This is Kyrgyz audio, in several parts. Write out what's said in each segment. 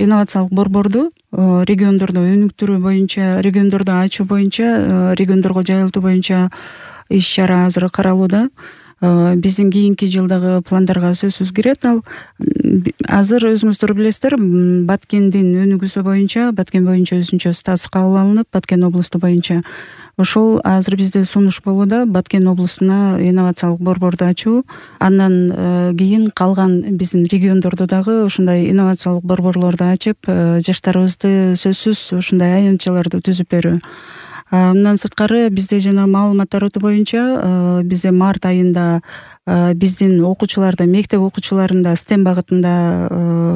инновациялык борборду региондордо өнүктүрүү боюнча, региондордо ачуу боюнча, региондорго жайылтуу боюнча иш чара азыр каралууда. Биздин кийинки жылдагы пландарга сөзсүз кирет ал. Азыр өзүңүздөр билесиздер, Баткендин өнүгүүсү боюнча, Баткен боюнча өзүнчө статус кабыл алынып, Баткен облусту боюнча ошол азыр бизде сунуш болууда Баткен облустуна инновациялык борборду ачуу. Андан кийин калган биздин региондордо дагы ушундай инновациялык борборлорду ачып, жаштарыбызды сөзсүз ушундай аянтчаларды түзүп берүү. Мындан сырткары бизде жана маалыматтар өтүү боюнча бизде март айында биздин окуучуларда, мектеп окуучуларында STEM багытында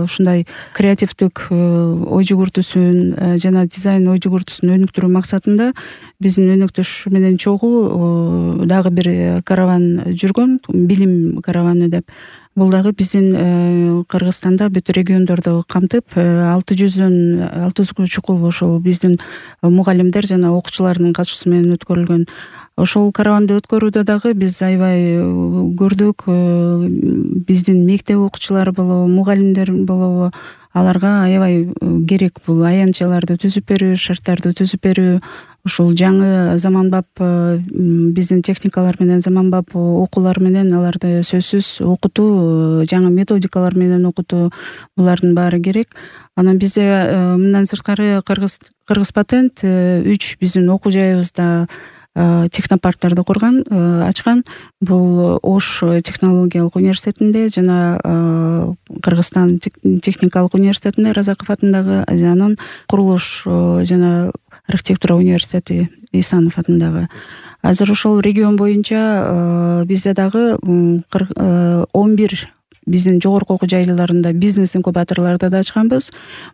ушундай креативдик ой жүгүртүүсүн жана дизайн ой жүгүртүүсүн өнүктүрүү максатында биздин өнөктөш менен чогуу дагы бир караван жүргөн, билим караваны деп. Бул дагы биздин Кыргызстанда бүт региондорду камтып, 600 чукул ошол биздин мугалимдер жана окуучулардын катышуусу менен өткөрүлгөн. Ошол караванды өткөрүүдө дагы биз аябай көрдүк. Биздин мектеп окуучулары болобу, мугалимдер болобу, аларга аябай керек бул аянтчаларды түзүп берүү, шарттарды түзүп берүү. Ушул жаңы заманбап биздин техникалар менен, заманбап окуулар менен аларды сөзсүз окутуу, жаңы методикалар менен окутуу, булардын баары керек. Анан бизде мындан сырткары Кыргыз патент 3 биздин окуу жайыбызда технопарктарды ачкан. Бул Ош технологиялык университетинде жана Кыргызстан техникалык университетинде Разаков атындагы, анан Курулуш жана архитектура университети Исанов атындагы. Азыр ошол регион боюнча бизде дагы 11 биздин жогорку окуу жайларында бизнес инкубаторлорду да ачканбыз.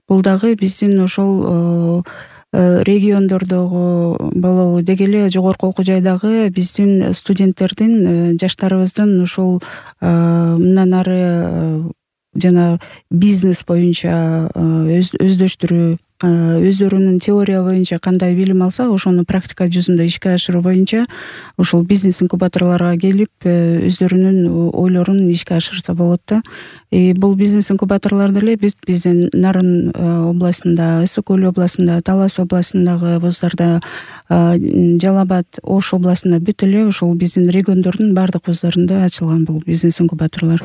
Бул дагы биздин ошол региондордогу болобу деги эле жогорку окуу жайдагы биздин студенттердин, жаштарыбыздын ушул мындан ары жана бизнес боюнча өздөштүрүү, өздөрүнүн теория боюнча кандай билим алса, ошону практика жүзүндө ишке ашыруу боюнча ушул бизнес инкубаторлорго келип, өздөрүнүн ойлорун ишке ашырса болот да. Бул бизнес инкубаторлорду эле биздин Нарын областында, Ысык Көл областында, Талас областындагы вуздарда, Жалал Абад, Ош областында бүт эле ушул биздин региондордун баардык вуздарында ачылган бул бизнес инкубаторлор.